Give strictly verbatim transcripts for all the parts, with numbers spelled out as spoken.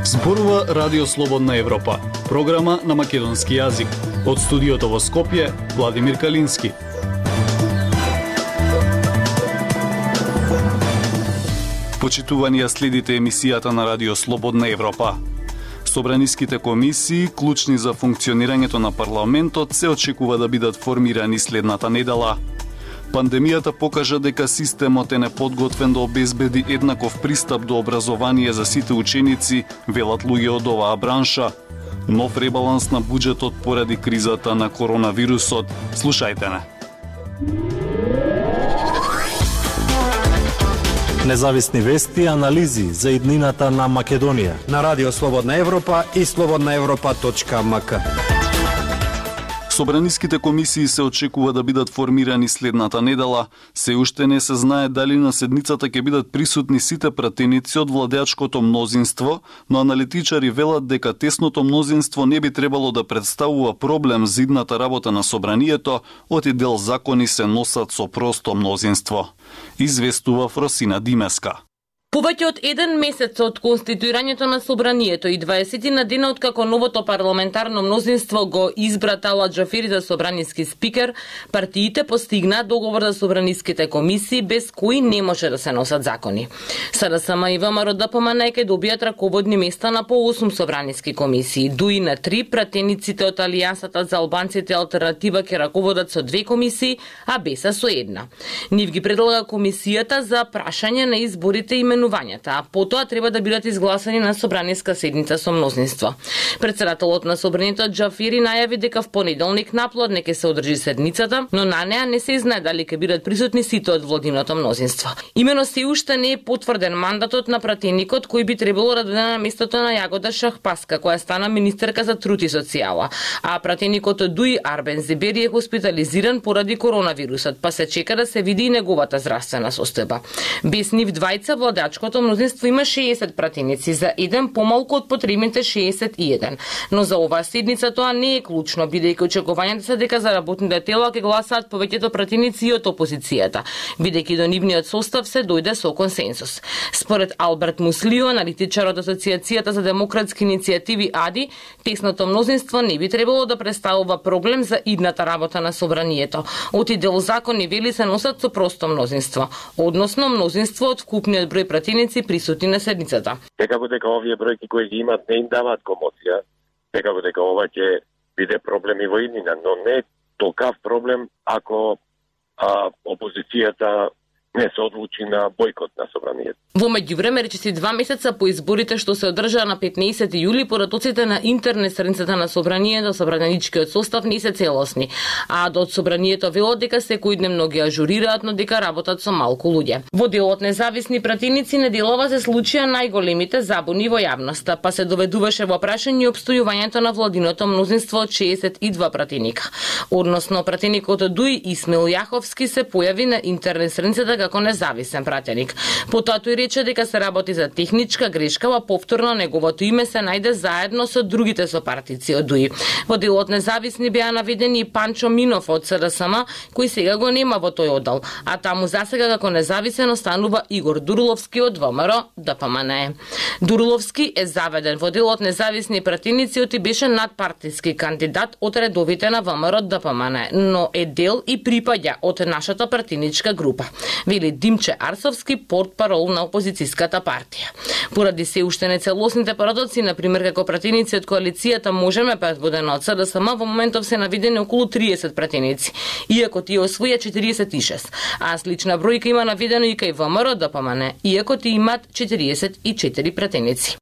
Зборува Радио Слободна Европа, програма на македонски јазик. Од студиото во Скопје, Владимир Калински. Почитувани ја следите емисијата на Радио Слободна Европа. Собраниските комисии, клучни за функционирањето на парламентот, се очекува да бидат формирани следната недела. Пандемијата покажа дека системот е неподготвен да обезбеди еднаков пристап до образование за сите ученици, велат луѓе од оваа бранша. Нов ребаланс на буџетот поради кризата на коронавирусот. Слушајте не. Независни вести и анализи за иднината на Македонија на Радио Слободна Европа и слободна европа точка ем ка. Собраниските комисии се очекува да бидат формирани следната недела. Се уште не се знае дали на седницата ќе бидат присутни сите пратеници од владеачкото мнозинство, но аналитичари велат дека тесното мнозинство не би требало да представува проблем за идната работа на собранието, оти дел закони се носат со просто мнозинство. Известува Фросина Димеска. Повеќе од еден месец од конституирањето на собранието и дваесет на дена откако новото парламентарно мнозинство го избра Талат Џафери за собраниски спикер, партиите постигнаа договор за собраниските комисии без кои не може да се носат закони. СДСМ и ВМРО ДПМН ќе добијат раководни места на по осум собраниски комисии, дуи на три, пратениците од Алијансата за албанците алтернатива ќе раководат со две комисии, а БЕСА со една. Нив ги предлага комисијата за прашање на изборите и а потоа треба да бидат изгласани на собраниска седница со мнозинство. Председателот на собранието Џафери најави дека в понеделник наплодне ќе се одржи седницата, но на неа не се знае дали ќе бидат присутни сите од владиното мнозинство. Имено се уште не е потврден мандатот на пратеникот кој би требало да дојде на местото на Јагода Шахпаска, која стана министерка за труд и социјала, а пратеникот од ДУИ Арбен Зебери е хоспитализиран поради коронавирусот, па се чека да се види и неговата здравствена состојба. Без нив двајца владеачкото мнозинство има шеесет пратеници, за еден помалку од потребните шеесет и еден. Но за оваа седница тоа не е клучно, бидејќи очекувањата се дека за работните тела ќе гласаат повеќето пратеници и од опозицијата, бидејќи до нивниот состав се дојде со консенсус. Според Алберт Муслио, аналитичар од Асоциацијата за демократски иницијативи АДИ, тесното мнозинство не би требало да представува проблем за идната работа на собранието. Оти дел закони вели се носат со просто мнозинство, односно мнозинство од вкупниот број пратеници присутни на седницата. Секако дека овие бројки кои ги имат не им даваат комоција, секако дека ова ќе биде проблем и во иднина, но не толкав проблем ако а, опозицијата не се одлучи на бојкот на собранието. Во меѓувреме, речиси два месеца по изборите што се одржаа на петнаесети јули, поратоците на интернет страницата на собранието, собраничкиот состав не се целосни, а до собранието велат дека секој дневно ги ажурираат, но дека работат со малку луѓе. Во делот независни пратеници неделова се случија најголемите забуни во јавноста, па се доведуваше во прашање обстојувањето на владиното мнозинство од шеесет и два пратеника. Односно, пратеникот од ДУИ Исмил Јаховски се појави на интернет страницата како независен пратеник. Потоа тој рече дека се работи за техничка грешка, а повторно неговото име се најде заедно со другите сопартици од ДУИ. Во делот независни беа наведени и Панчо Минов од СДСМ, кој сега го нема во тој оддел, а таму засега како независен останува Игор Дурловски од ВМРО ДПМН. Дурловски е заведен во делот независни пратеници, оти беше надпартиски кандидат од редовите на ВМРО ДПМН, но е дел и припаѓа од нашата пратеничка група, вели Димче Арсовски, портпарол на опозицијската партија. Поради се уште нецелосните парадокси, например како пратеници од коалицијата Можеме предводена од СДСМ, во моментов се навидени околу триесет пратеници, иако тие освоја четириесет и шест, а слична бројка има наведено и кај ВМРО ДПМН, иако тие имаат четириесет и четири пратеници.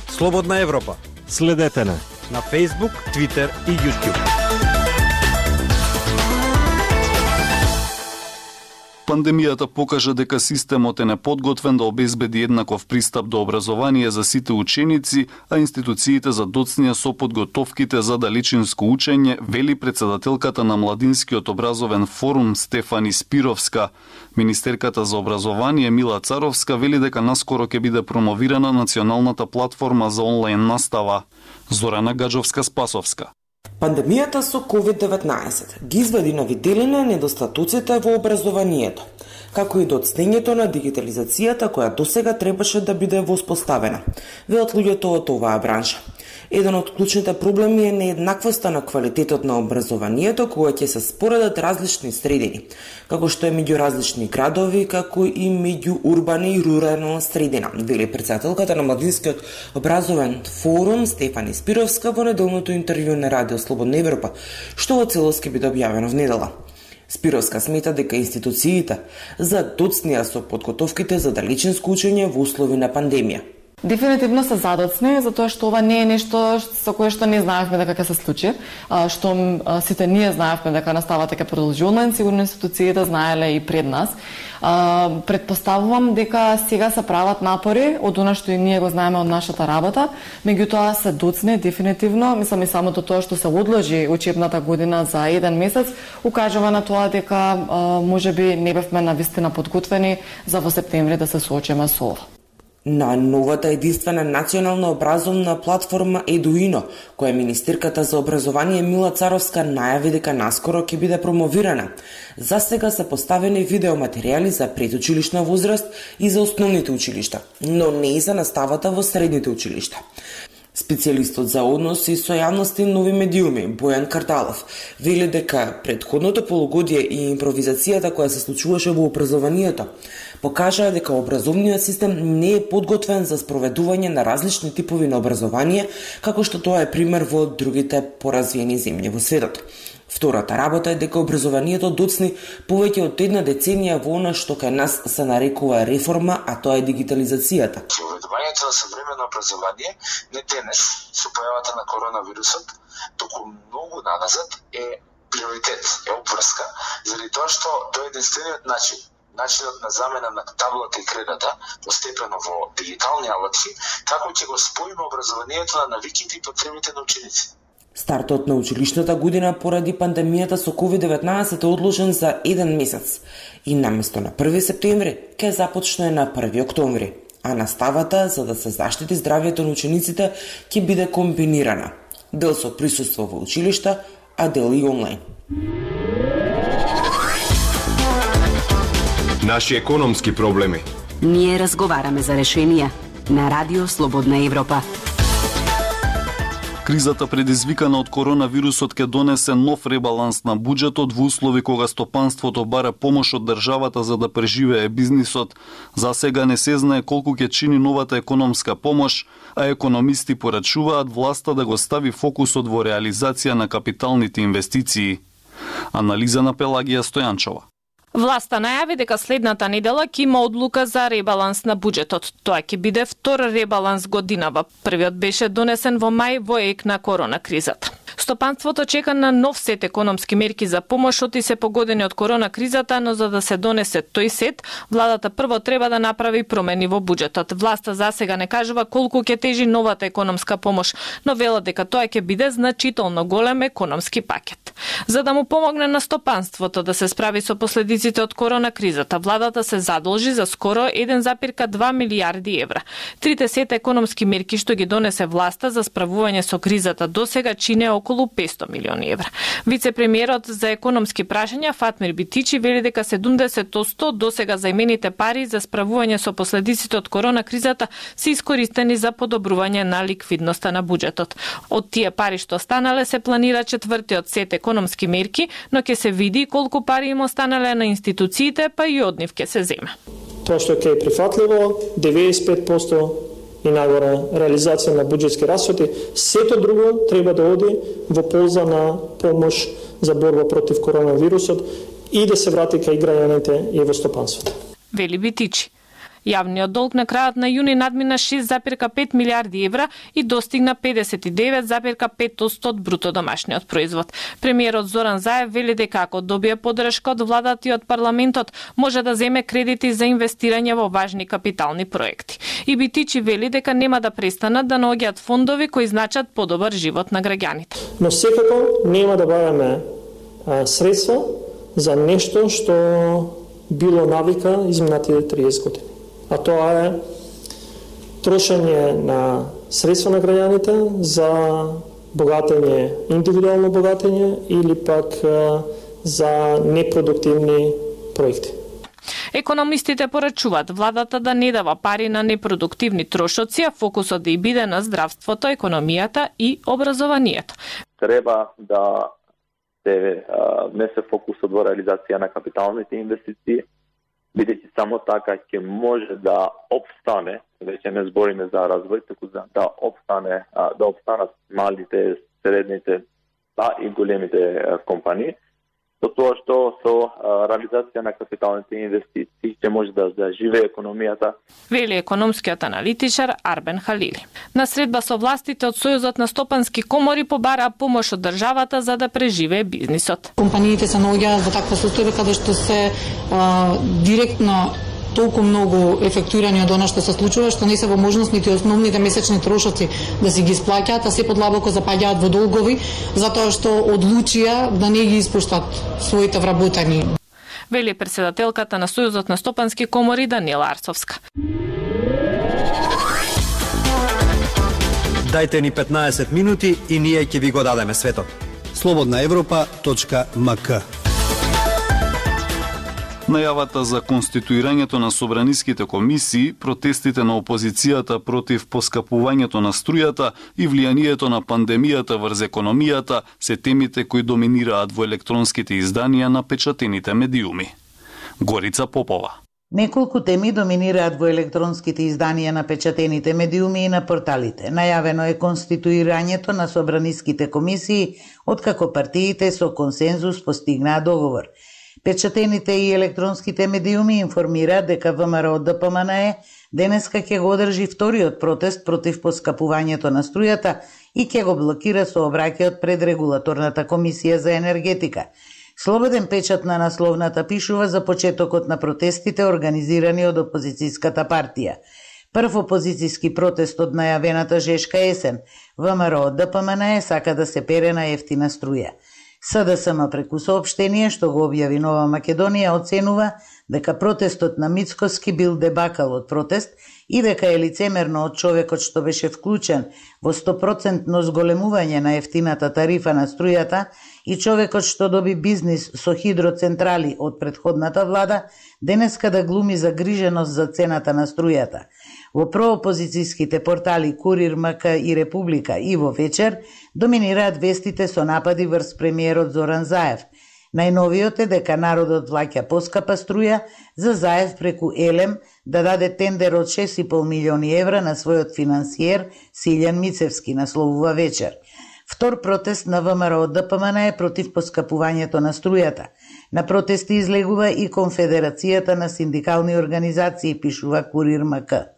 Слободна Европа. Следете на на Facebook, Twitter и YouTube. Пандемијата покажа дека системот е неподготвен да обезбеди еднаков пристап до образование за сите ученици, а институциите за доцнија со подготовките за далечинско учење, вели председателката на Младинскиот образовен форум Стефани Спировска. Министерката за образование Мила Царовска вели дека наскоро ќе биде промовирана националната платформа за онлайн настава. Зорана Гаджовска-Спасовска. Пандемијата со ковид деветнаесет ги изведи на виделина недостатоците во образованието, како и доцнењето на дигитализацијата која досега требаше да биде воспоставена, велат луѓето од оваа бранша. Еден од клучните проблеми е нееднаквоста на квалитетот на образованието кога ќе се споредат различни средини, како што е меѓу различни градови, како и меѓу урбани и рурална средина, вели претседателката на Младинскиот образовен форум Стефани Спировска во неделното интервју на Радио Слободна Европа, што во целост ќе биде објавено в недела. Спировска смета дека институциите задоцнија со подготовките за далечинско учење во услови на пандемија. Дефинитивно се задоцни, затоа што ова не е нешто со кое што не знаевме дека ќе се случи, што сите ние знаевме дека наставата ќе продолжи онлайн, сигурно институциите знаеле и пред нас. Предпоставувам дека сега се прават напори од она што и ние го знаеме од нашата работа, меѓутоа се доцне дефинитивно, мислам и самото тоа што се одложи учебната година за еден месец, укажува на тоа дека можеби не бевме навистина подготвени за во септември да се соочиме со ова. На новата единствена национална образовна платформа Едуино, која министерката за образование Мила Царовска најави дека наскоро ќе биде промовирана, за сега се поставени видеоматеријали за предучилишна возраст и за основните училишта, но не и за наставата во средните училишта. Специјалистот за односи со јавност и нови медиуми Бојан Карталов вели дека претходното полугодие и импровизацијата која се случуваше во образованието покажаа дека образовниот систем не е подготвен за спроведување на различни типови на образование, како што тоа е пример во другите поразвиени земји во светот. Втората работа е дека образованието доцни повеќе од една деценија во она што кај нас се нарекува реформа, а тоа е дигитализацијата. Совредувањето на современо образование не денес со појавата на коронавирусот, туку многу наназад е приоритет, е обврска, заради тоа што тоа е единствениот начин начинот на замена на таблата и кредата, постепено во дигитални алатки, како ќе го споиме образованието на навиките и потребите на учениците. Стартот на училишната година поради пандемијата со ковид деветнаесет е одложен за еден месец и наместо на први септември ќе започне на први октомври, а наставата за да се заштити здравјето на учениците ќе биде комбинирана, дел со присуство во училишта, а дел и онлайн. Наши економски проблеми. Ние разговараме за решенија на Радио Слободна Европа. Кризата предизвикана од коронавирусот ќе донесе нов ребаланс на буџетот во услови кога стопанството бара помош од државата за да преживее бизнисот. За сега не се знае колку ќе чини новата економска помош, а економисти порачуваат власта да го стави фокусот во реализација на капиталните инвестиции. Анализа на Пелагија Стојанчова. Власта најави дека следната недела ќе има одлука за ребаланс на буџетот. Тоа ќе биде втор ребаланс годинава. Првиот беше донесен во мај во ек на корона кризата. Стопанството чека на нов сет економски мерки за помош оти се погодени од корона кризата, но за да се донесе тој сет, владата прво треба да направи промени во буџетот. Власта за сега не кажува колку ќе тежи новата економска помош, но вела дека тоа ќе биде значително голем економски пакет. За да му помогне на стопанството да се справи со последиците од корона кризата, владата се задолжи за скоро еден запир два милијарди евра. Трите сет економски мерки што ги донесе власта за справување со кризата досега чине околу петстотини милиони евра. Вице-премиерот за економски прашања Фатмир Битичи вели дека седумдесет на сто досега заимените пари за справување со последиците од корона кризата се искористени за подобрување на ликвидноста на буџетот. Од тие пари што останале се планира четвртиот сет економски мерки, но ќе се види колку пари им останале на институциите, па и од нив ќе се земе. Тоа што ќе е прифатливо, деветдесет и пет проценти и нагоре реализација на буџетски расходи, сето друго треба да оди во полза на помош за борба против коронавирусот и да се врати кај граѓаните и во стопанството. Вели Битичи. Јавниот долг на крајот на јуни надмина шест зарез пет милијарди евра и достигна педесет и девет зарез пет на сто од бруто домашниот производ. Премиерот Зоран Заев вели дека ако добие поддршка од владата и од парламентот, може да земе кредити за инвестирање во важни капитални проекти. И Битичи вели дека нема да престанат да наоѓаат фондови кои значат подобар живот на граѓаните. Но секако нема да баваме средства за нешто што било навика изминатите триесет години. А тоа е трошење на средства на граѓаните за богатење, индивидуално богатење или пак за непродуктивни проекти. Економистите порачуваат владата да не дава пари на непродуктивни трошоци, а фокусот да и биде на здравството, економијата и образованието. Треба да се внесе фокусот во реализација на капиталните инвестиции, бидејќи само така ќе може да опстане, веќе не збориме за развој, туку за да опстане, да опстанат малите, средните, а и големите компании, до тоа што со реализација на капиталните инвестиции ќе може да заживее економијата. Вели економскиот аналитичар Арбен Халили. На средба со властите од Сојузот на стопански комори побараа помош од државата за да преживее бизнисот. Компаниите се наоѓаат во таква состојба каде што се а, директно толку многу ефектуирани од она што се случува, што не се во можност нити основните месечни трошоци да си ги исплаќаат, а се подлабоко запаѓаат во долгови, затоа што одлучија да не ги испуштат своите вработени. Вели председателката на Сојузот на стопански комори Даниела Арцовска. Дајте ни петнаесет минути и ние ќе ви го дадеме светот. слободна европа точка ем ка. Најавата за конституирањето на собраниските комисии, протестите на опозицијата против поскапувањето на струјата и влијанието на пандемијата врз економијата се темите кои доминираат во електронските изданија на печатените медиуми. Горица Попова. Неколку теми доминираат во електронските изданија на печатените медиуми и на порталите. Најавено е конституирањето на собраниските комисии, откако партиите со консензус постигнаа договор. Печатените и електронските медиуми информираат дека ВМРО Д П М Н Е денеска ќе го одржи вториот протест против поскапувањето на струјата и ќе го блокира сообраќајот пред Регулаторната комисија за енергетика. Слободен печат на насловната пишува за почетокот на протестите организирани од опозицијската партија. Прв опозицијски протест од најавената жешка есен. ВМРО Д П М Н Е сака да се пере на ефтина струја. С Д С М преку соопштение што го објави Нова Македонија оценува дека протестот на Мицкоски бил дебакал од протест и дека е лицемерно од човекот што беше вклучен во сто проценти зголемување на ефтината тарифа на струјата и човекот што доби бизнис со хидроцентрали од претходната влада денеска да глуми загриженост за цената на струјата. Во проопозицијските портали Курир, М К и Република и во Вечер доминираат вестите со напади врз премиерот Зоран Заев. Најновиот е дека народот плаќа поскапа струја за Заев преку Елем да даде тендер од шест и пол милиони евра на својот финансиер Силјан Мицевски, насловува Вечер. Втор протест на ВМРО Д П М Н Е против поскапувањето на струјата. На протести излегува и Конфедерацијата на синдикални организации, пишува Курир М К.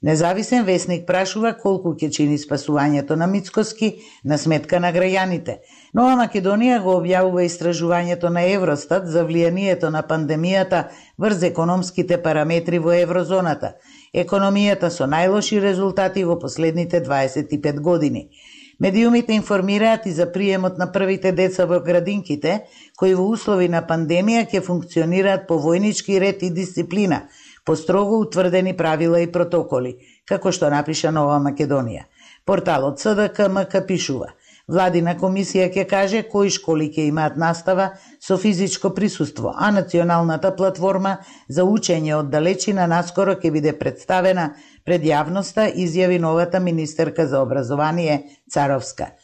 Независен весник прашува колку ќе чини спасувањето на Мицкоски на сметка на граѓаните. Нова Македонија го објавува истражувањето на Евростат за влијанието на пандемијата врз економските параметри во еврозоната. Економијата со најлоши резултати во последните дваесет и пет години. Медиумите информираат и за приемот на првите деца во градинките, кои во услови на пандемија ќе функционираат по војнички ред и дисциплина, по строго утврдени правила и протоколи, како што напиша Нова Македонија. Порталот С Д К М К пишува: Владина комисија ќе каже кои школи ќе имаат настава со физичко присуство, а националната платформа за учење од далечина наскоро ќе биде представена пред јавноста, изјави новата министерка за образование Царовска.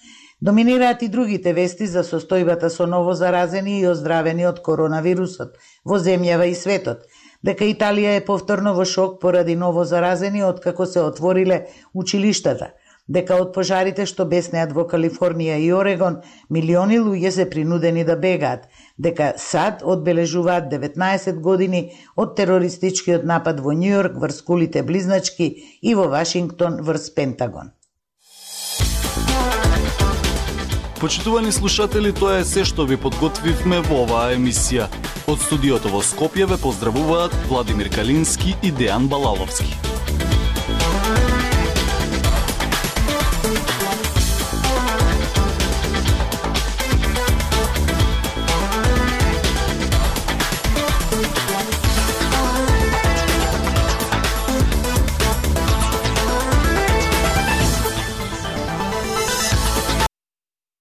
Доминираат и другите вести за состојбата со новозаразени и оздравени од коронавирусот во земјава и светот, дека Италија е повторно во шок поради новозаразени откако се отвориле училиштата, дека од пожарите што беснеат во Калифорнија и Орегон, милиони луѓе се принудени да бегаат, дека САД одбележуваат деветнаесет години од терористичкиот напад во Њујорк врз кулите близначки и во Вашингтон врз Пентагон. Почитувани слушатели, тоа е се што ви подготвивме во оваа емисија. Од студиото во Скопје ве поздравуваат Владимир Калински и Дејан Балаловски.